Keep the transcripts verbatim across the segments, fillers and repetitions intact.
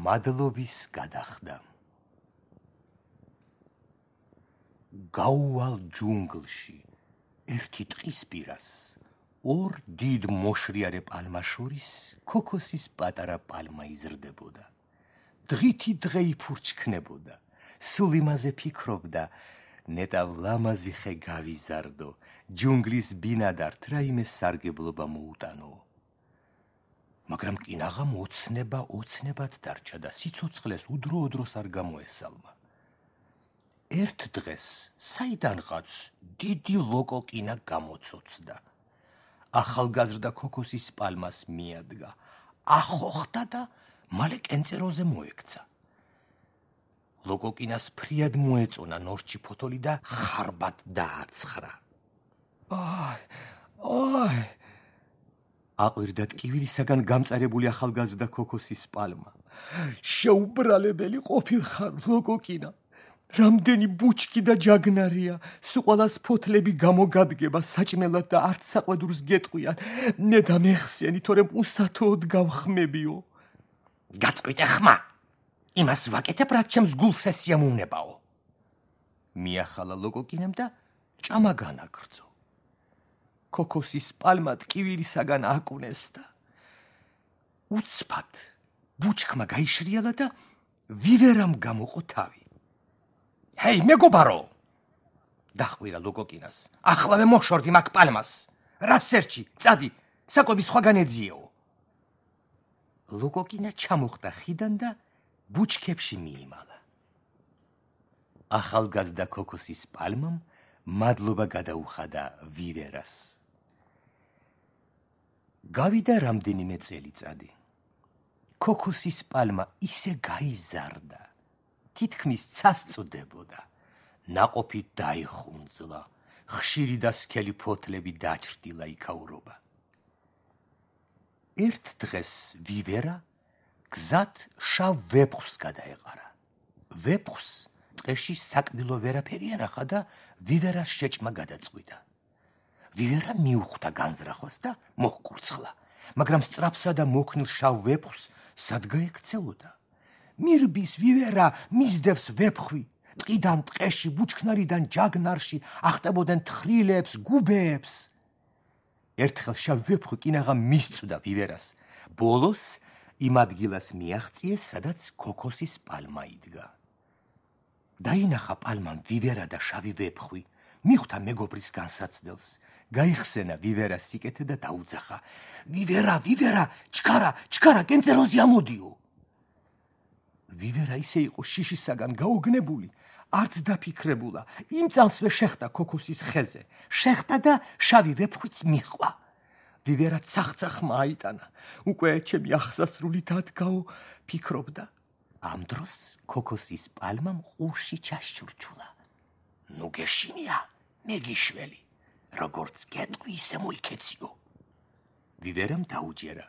მადლობის გადახდა. გაუვალ ჯუნგლში ერთი ტყის პირას ორ დიდ მოშრიარე პალმას შორის ქოქოსის პატარა პალმა იზრდებოდა. დღითი დღე იფურჩქნებოდა, სულ იმაზე ფიქრობდა, ნეტავ ლამაზი ხე გავიზარდო, ჯუნგლის ბინადართ რაიმე სარგებლობა მოუტანო. მაგრამ კინაღამ ოცნება ოცნებად დარჩა და სიცოცხლეს უდრო-უდროს არ გამოესალმა. ერთ დღეს საიდანღაც დიდი ლოკოკინა გამოცოცდა. ახალგაზრდა ქოქოსის პალმას მიადგა, ახოხდა და მალე კენწეროზე მოექცა. ლოკოკინას ფრიად მოეწონა ნორჩი ფოთოლი და ხარბად დააცხრა. აი, აი! აყვირდა ტკივილისაგან გამწარებული ახალგაზრდა ქოქოსის პალმა. შეუბრალებელი ყოფილხარ, ლოკოკინა. რამდენი ბუჩქი და ჯაგნარია, სუყვალას ფოთლები გამოგადგება საჭმელად და არც საყვედურს გეტყვიან. მე და მეხსენი, თორემ უსათოოდ გავხმებიო. გაწყვიტე ხმა, იმას ვაკეთებ, რაც ჩემს გულს ესიამოვნებაო. მიახალა ლოკოკინამ და ჭამა განაგრძო. ქოქოსის პალმა ტკივილისაგან აკვნეს და უცბად ბუჩქმა გაიშრიალა და ვივერამ გამოყო თავი. ჰეი, მეგობარო! დახვირა ლოკოკინას. ახლავე მოშორდი მაგ პალმას. რა სერჩი, წადი, საკვები სხვაგან ეძიეო. ლოკოკინა ჩამოხდა ხიდან და ბუჩქებში მიიმალა. ახალგაზრდა ქოქოსის პალმამ მადლობა გადაუხადა ვივერას. გავიდა რამდენიმე წელიწადი. ქოქოსის პალმა ისე გაიზარდა, თითქმის წასწდებოდა. ნაყოფი დაიხუნძლა, ხშირი და სქელი ფოთლები დაჩრდილა იქაურობა. ერთ დღეს ვივერა გზად შავ ვეფხვს გადაეყარა. ვეფხვს ტყეში საკბილო ვერაფერი ენახა და ვივერას შეჭმა გადაწყვიტა. ვივერა მიუხვდა განზრახვას და მოჰკურცხლა, მაგრამ სწრაფსა და მოქნილ შავ ვეფხვს სად გაექცეოდა? მირბის ვივერა მისდევს ვეფხვი, ტყიდან ტყეში, ბუჩქნარიდან ჯაგნარში ახტებოდნენ თხრილებს, გუბეებს. ერთხელ შავ ვეფხვი კინაღამ მისწვდა ვივერას. ბოლოს იმ ადგილას მიაღწიეს, სადაც ქოქოსის პალმა იდგა. დაინახა პალმამ ვივერა და შავი ვეფხვი, მიხვდა მეგობრის განსაცდელს, გაიხსენა ვივერას სიკეთე და დაუძახა. ვივერა, ვივერა, ჩქარა, ჩქარა, კენწეროზე ამოდიო. ვივერა ისე იყო შიშისაგან გაოგნებული, არც დაფიქრებულა, იმ წამსვე შეხტა ქოქოსის ხეზე, შეხტა და შავი ვეფხვიც მიჰყვა. ვივერა ცახცახმა აიტანა, უკვე ჩემი ახსასრული დადგაო, ფიქრობდა. ამ დროს ქოქოსის პალმამ ყურში ჩაშჩურჩულა. ნუ გეშინია, მეგიშველი, როგორც გეტყვი, ისე მოიქეციო. ვივერამ დაუჯერა.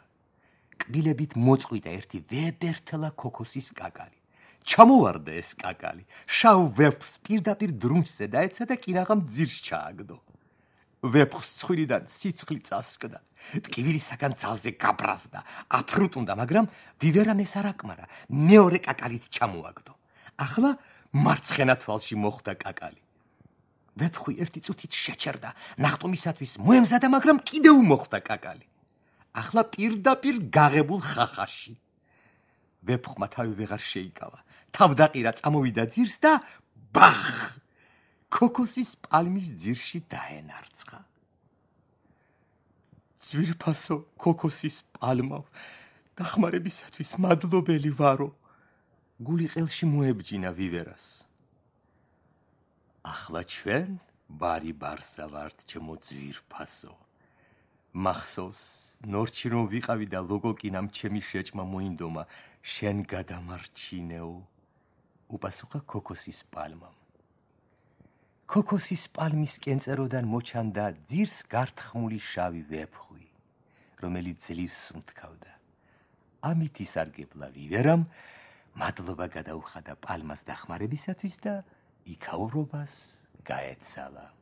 კბილებით მოწყვიტა ერთი ვებერთელა ქოქოსის კაკალი. ჩამოვარდა ეს კაკალი, შავ ვეფხვს პირდაპირ დრუნჩზე დაეცა და კინაღამ ძირს ჩააგდო. ვეფხვს ცხვირიდან სიცხლი წასკდა, ტკივილისაგან ძალზე გაბრაზდა, აფრუტუნდა, მაგრამ ვივერამ ეს არ აკმარა, მეორე კაკალიც ჩამოაგდო. ახლა მარცხენა თვალში მოხვდა კაკალი. ვეფხვი ერთი წუთით შეჩერდა, ნახტომისათვის მოემზადა, მაგრამ კიდევ მოხვდა კაკალი. ახლა პირდაპირ გაღებულ ხახაში. ვეფხვმა თავი ვეღარ შეიკავა, თავდაყირა, წამოვიდა ძირს და ბახ! ქოქოსის პალმის ძირში დაენარცხა. ძვირფასო ქოქოსის პალმავ, დახმარებისათვის მადლობელი ვარო. გული ყელში მოებჯინა ვივერას. ახლა ჩვენ ბარი ბარსა ვართ, ჩემო ძვირფასო. მახსოვს, ნორჩი რომ ვიყავი და ლოკოკინამ ჩემი შეჭმა მოინდომა, შენ გადამარჩინეო, უპასუხა ქოქოსის პალმამ. ქოქოსის პალმის კენწეროდან მოჩანდა ძირს გართხმული შავი ვეფხვი, რომელიც ძლივს სუნთქავდა. ამით ისარგებლა ვივერამ, მადლობა გადაუხადა პალმას დახმარებისათვის და იქაურობას გაეცალა.